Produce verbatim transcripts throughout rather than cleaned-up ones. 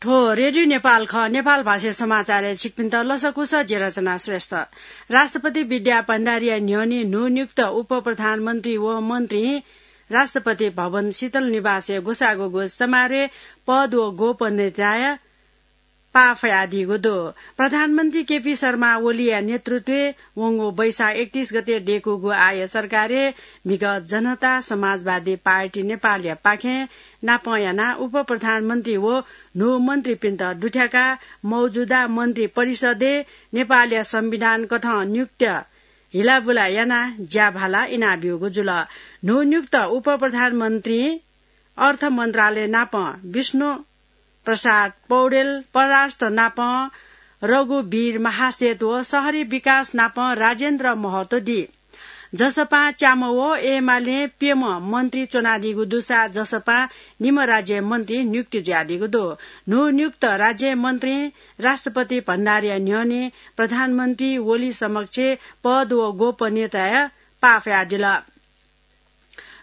थ्व रेडियो नेपाल खः। नेपाल भाषा समाचारय् छिकपिन्त लसकुस, जि रचना श्रेष्ठ। राष्ट्रपति विद्या भण्डारीया न्ह्यःने न्हूनियुक्त उपप्रधानमन्त्री व मन्त्री राष्ट्रपति भवन शीतल निवासय् ग्वसाः ग्वःगु समारोहय् पद व गोपनीयताया पाः फयादीगु दु। प्रधानमन्त्री केपी शर्मा ओलीया नेतृत्वय् वंगु वैशाख एकतीस गते दयेकूगु आःया सरकारय् म्हिगः जनता समाजवादी पार्टी नेपालया पाखें नापं यानाः उपप्रधानमन्त्री व न्हू मन्त्रीपिन्त दुथ्याकाः मौजुदा मन्त्री परिषदय् नेपालया संविधान कथं नियुक्त हिलाबुला यानाः ज्याभाला इनाब्यूगु जुल। न्हूनियुक्त उपप्रधानमन्त्री अर्थ मन्त्रालय नापं विष्णु प्रसाद पौडेल, परराष्ट्र नापं रघुवीर महासेठ व शहरी विकास नापं राजेन्द्र महतो दी। जसपां च्याम्ह व एमालें प्यम्ह मन्त्री च्वनादीगु दुसा जसपां निम्ह राज्य मन्त्री नियुक्ति जुयादीगु दु। न्हूनियुक्त राज्य मन्त्री राष्ट्रपति भण्डारीया न्ह्यःने प्रधानमन्त्री ओली समक्ष पद व गोपनीयताया पाः फयादिल।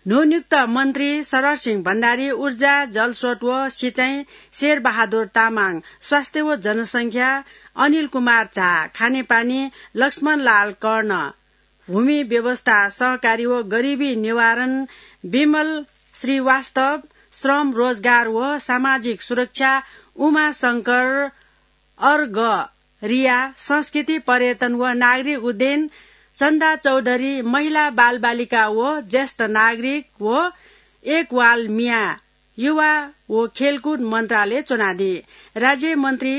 न्हूनियुक्त मन्त्री शरद सिंह भण्डारी, ऊर्जा, जलस्रोत व सिँचाइ, शेरबहादुर तामाङ, स्वास्थ्य व जनसंख्या, अनिल कुमार झा, खानेपानी, लक्ष्मणलाल कर्ण, भूमि व्यवस्था, सहकारी व गरिबी निवारण, विमल श्रीवास्तव, श्रम, रोजगार व सामाजिक सुरक्षा, उमाशंकर अर्घ रिया, संस्कृति, पर्यटन व नागरिक उड्डयन, चन्दा चौधरी, महिला, बालबालिका व ज्येष्ठ नागरिक व एकवाल मियां, युवा व खेलकुद मन्त्रालय च्वनादी। राज्य मन्त्री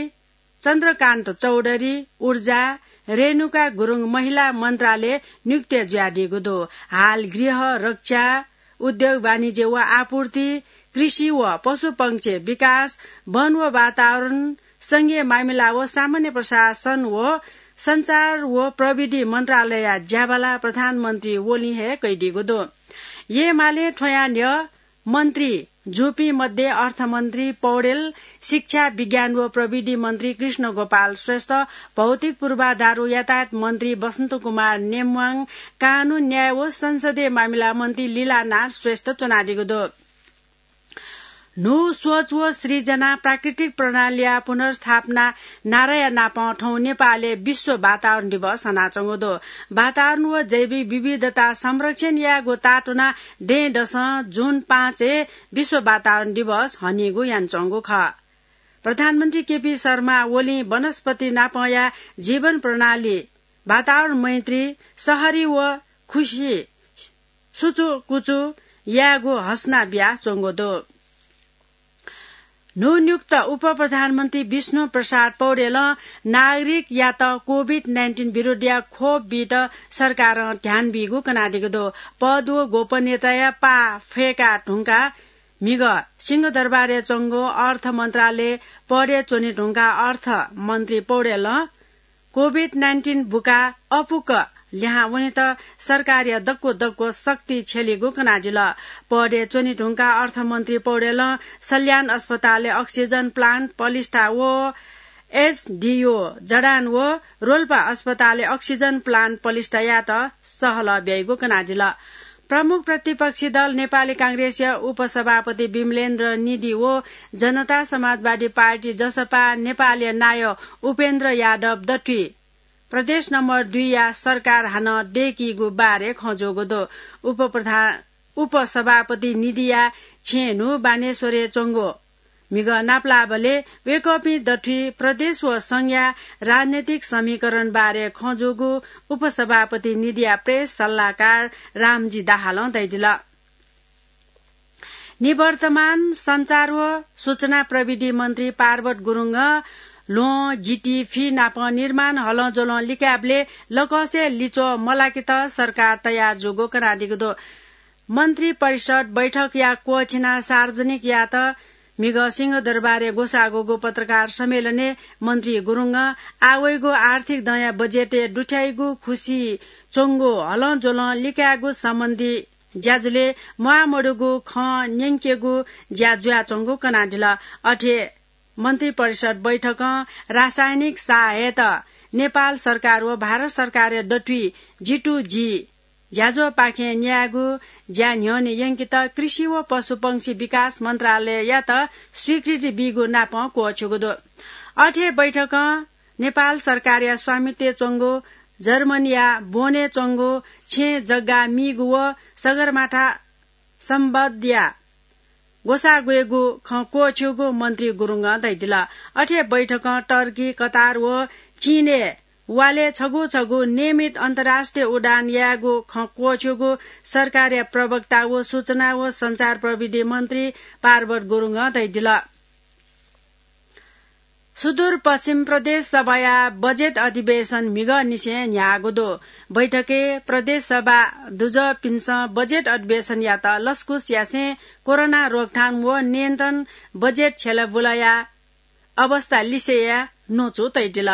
चन्द्रकान्त चौधरी, ऊर्जा, रेणुका गुरुङ, महिला मन्त्रालय नियुक्त जुयादीगु दु। हाल गृह, रक्षा, उद्योग, वाणिज्य व आपूर्ति, कृषि व पशुपक्षी विकास, वन व वातावरण, संघीय मामिला व सामान्य प्रशासन व सञ्चार व प्रविधि मन्त्रालयया ज्याभाला प्रधानमन्त्री ओलीं हे कयादीगु दु। एमालें थ्वयां न्ह्यः मन्त्री जूपिं मध्ये अर्थमन्त्री पौडेल, शिक्षा, विज्ञान व प्रविधि मन्त्री कृष्ण गोपाल श्रेष्ठ, भौतिक पूर्वाधार व यातायात मन्त्री बसन्त कुमार नेम्वाङ, कानून, न्याय व संसदीय मामिला मन्त्री लीलानाथ श्रेष्ठ च्वनादीगु दु। न्हू सोच व सृजना, प्राकृतिक प्रणालीया पुनर्स्थापना नाराया नापं थौं नेपालय् विश्व वातावरण दिवस हनाच्वंगु दु। वातावरण व जैविक विविधता संरक्षण यायेगु तातुना दँय्‌दसं जुन पाँचय् विश्व वातावरण दिवस हनीगु यानाच्वंगु खः। प्रधानमन्त्री केपी शर्मा ओलीं वनस्पति नापंया जीवन प्रणाली, वातावरण मैत्री, शहरी व खुसी सुचुकुचु यायेगु हसना बियाच्वंगु दु। न्हूनियुक्त उपप्रधानमन्त्री विष्णु प्रसाद पौडेलं नागरिकयात कोभिड नाइन्टिन विरुद्धया खोप बीत सरकारं ध्यान बीगु कनादीगु दु। पद व गोपनीयताया पाः फय्‌का धुंकाः म्हिगः सिंहदरबारय् च्वंगु अर्थ मन्त्रालय पदय् च्वने धुंकाः अर्थमन्त्री पौडेलं कोभिड नाइन्टिन बुका अपुक्क लिहां वनेत सरकारया दक्व दक्व शक्ति छ्यलीगु कनादिल। पदय् च्वने धुंकाः अर्थमन्त्री पौडेलं सल्यान अस्पतालय् अक्सिजन प्लान्ट पलिस्था व एसडिओ जडान व रोल्पा अस्पतालय् अक्सिजन प्लान्ट पलिस्था यायेत सहलह ब्याइगु कनादिल। प्रमुख प्रतिपक्षी दल नेपाली कांग्रेसया उपसभापति विमलेन्द्र निधि व जनता समाजवादी पार्टी, जसपा, नेपालया नायः उपेन्द्र यादव दथुइ प्रदेश नम्बर दुईया सरकार हानं दय्‌कीगु बारे खँ जूगु दु। उपप्रधान, उपसभापति निधिया छेँय् न्हू बानेश्वरय् च्वंगु म्हिगः नापलाःबलय् वय्‌कःपिं दथुइ प्रदेश व संघया राजनैतिक समीकरण बारे खँ जूगु उपसभापति निधिया प्रेस सल्लाहकार रामजी दाहालं धयादिल। निवर्तमान सञ्चार व सूचना प्रविधि मन्त्री पार्वत गुरुङं ल्वहं, गिटी, फि नाप निर्माण हलंज्वलं लिकाःबलय् लकसय् लिच्वः मलाकेत सरकार तयार जूगु कनादीगु दु। मन्त्री परिषद बैठकया क्वःछिनाः सार्वजनिक यायेत म्हिगः सिंहदरबारय् ग्वसाः ग्वःगु पत्रकार सम्मेलनय् मन्त्री गुरुङं आः वइगु आर्थिक दँया बजेटय् दुथ्याइगु खुसि च्वंगु हलंज्वलं लिकायेगु सम्बन्धी ज्याझ्वलय् म्वाःमदुगु खँ न्यंकेगु ज्या जुयाच्वंगु कनादिल। अथे मन्त्री परिषद बैठकं रासायनिक साः हयेत नेपाल सरकार व भारत सरकारया दथुइ जी टू जी ज्याझ्वःपाखें न्यायेगु ज्या न्ह्यःने यंकेत कृषि व पशुपंक्षी विकास मन्त्रालययात स्वीकृति बीगु नापं क्वःछ्यूगु दु। अथे बैठकं नेपाल सरकारया स्वामित्वय् च्वंगु जर्मनीया बोनय् च्वंगु छेँ जग्गा मीगु व सगरमाथा सम्बद्धया ग्वसाः ग्वयेगु खँ क्वःछ्यूगु मन्त्री गुरुङं धयादिल। अथे बैठकं टर्की, कतार व चीनय् वालय् छगू छगू नियमित अन्तर्राष्ट्रिय उडान यायेगु खँ क्वःछ्यूगु सरकारया प्रवक्ता व सूचना व सञ्चार प्रविधि मन्त्री पार्वत गुरुङं धयादिल। सुदूरपश्चिम प्रदेश सभाया बजेट अधिवेशन म्हिगःनिसें न्ह्याःगु दु। बैठकय् प्रदेश सभा दुजःपिन्सं बजेट अधिवेशनयात लसकुस यासें कोरोना रोकथाम व नियन्त्रण बजेट छ्यलाबुलाया अवस्था लिसेया न्वचु तयादिल।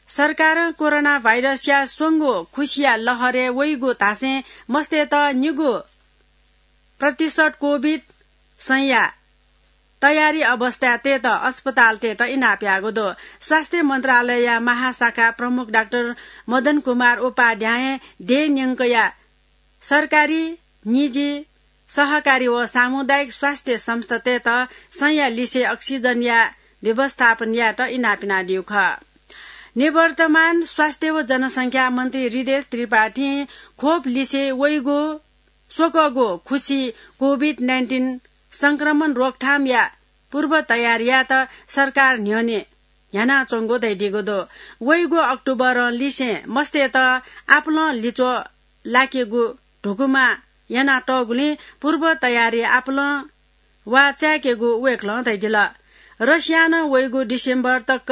सरकारं कोरोना भाइरसया स्वंगू खुसिया लहरय् वइगु धासें मस्तय्त निगू प्रतिशत कोभिड सैंया तयारी अवस्थाय् तयेत अस्पतालतय्त इनाप याःगु दु। स्वास्थ्य मन्त्रालयया महाशाखा प्रमुख डाक्टर मदन कुमार उपाध्यायं देय् न्यंकया सरकारी, निजी, सहकारी व सामुदायिक स्वास्थ्य संस्थातय्त सैंया लिसे अक्सिजनया व्यवस्थापन यायेत इनाप यानादीगु खः। निवर्तमान स्वास्थ्य व जनसंख्या मन्त्री हृदेश त्रिपाठीं खोप लिसे वइगु स्वकःगु खुसि कोभिड नाइन्टिन संक्रमण रोकथामया पूर्व तयारीयात सरकार न्ह्यःने न्ह्यानाच्वंगु धयादीगु दु। वइगु अक्टोबरं लिसें मस्तय्त आपालं लिच्वः लाकेगु धुकुमा यानातःगुलिं पूर्व तयारी आपालं वा चाय्केगु वय्कलं धयादिल। रसियां नं वइगु डिसेम्बर तक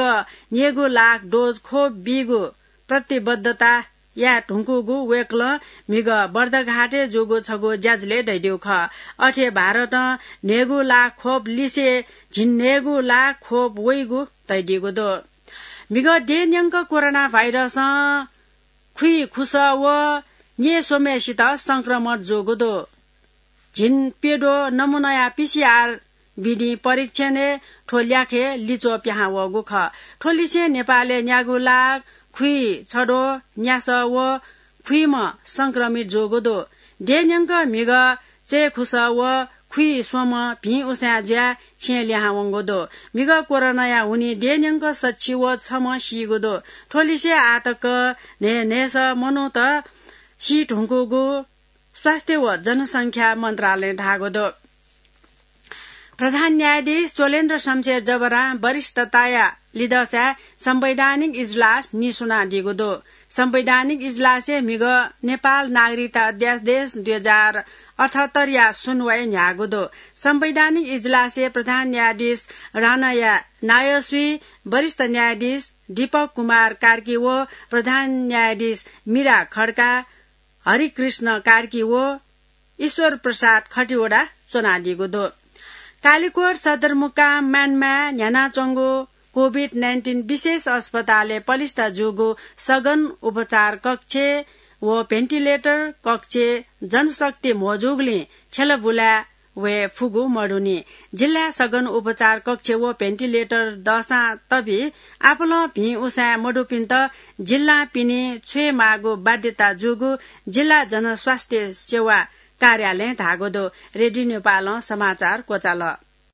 न्यय्गू लाख डोज खोप बीगु प्रतिबद्धता याये धुंकूगु वय्कलं म्हिगः बर्दघाटय् जूगु छगू ज्याझ्वलय् धयादीगु खः। अथे भारतं न्हय्गू लाख खोप लिसे झिंन्हय्गू लाख खोप वइगु धयादीगु दु। म्हिगः देय् न्यंक कोरोना भाइरसं खुइखुसः व न्यय्स्वम्हेसित संक्रमण जूगु दु। झिंप्यद्वः नमुनाया पीसीआर विधिं परीक्षणय् थ्व ल्याखय् लिच्वः पिहां वःगु खः। थ्व लिसें नेपालय् न्यागू लाख खुइछद्वः न्यासः व खुइम्ह संक्रमित जूगु दु। देय् न्यंक म्हिगः चय्खुसः व खुइस्वम्ह भिं उसाँय् जुयाः छेँय् लिहां वंगु दु। म्हिगः कोरोनाया हुनिं देय् न्यंक सच्छि व छम्ह सीगु दु। थ्व लिसे आः तक न्हय्न्हय्सः मनूत सी धुंकूगु स्वास्थ्य व जनसंख्या मन्त्रालयं धाःगु दु। प्रधान न्यायाधीश चोलेन्द्र शमशेर जबरां वरिष्ठताया लिधंसाय् संवैधानिक इजलास नीस्वनादीगु दु। संवैधानिक इजलासय् म्हिगः नेपाल नागरिकता अध्यादेश दुई हजार अठहत्तरया सुनुवाइ न्ह्याःगु दु। संवैधानिक इजलासय् प्रधान न्यायाधीश राणाया नायःसुइ वरिष्ठ न्यायाधीश दीपक कुमार कार्की व प्रधान न्यायाधीश मीरा खड्का, हरिकृष्ण कार्की व ईश्वर प्रसाद खतिवडा च्वनादीगु दु। कालिकोट सदरमुकाम मानमाय् न्ह्यानाच्वंगु कोभिड नाइन्टिन विशेष अस्पतालय् पलिस्था जूगु सघन उपचार कक्ष व भेन्टिलेटर कक्ष जनशक्ति म्हो जूगुलिं छ्यलाबुलाय् वये फुगु मदुनि। जिल्लाय् सघन उपचार कक्ष व भेन्टिलेटर दःसां तबि आपालं भिं उसाँय् मदुपिन्त जिल्लां पिने छ्वयेमाःगु बाध्यता जूगु जिल्ला जनस्वास्थ्य सेवा कार्यालयं धाःगु दु। रेडियो नेपालं समाचार क्वचाल।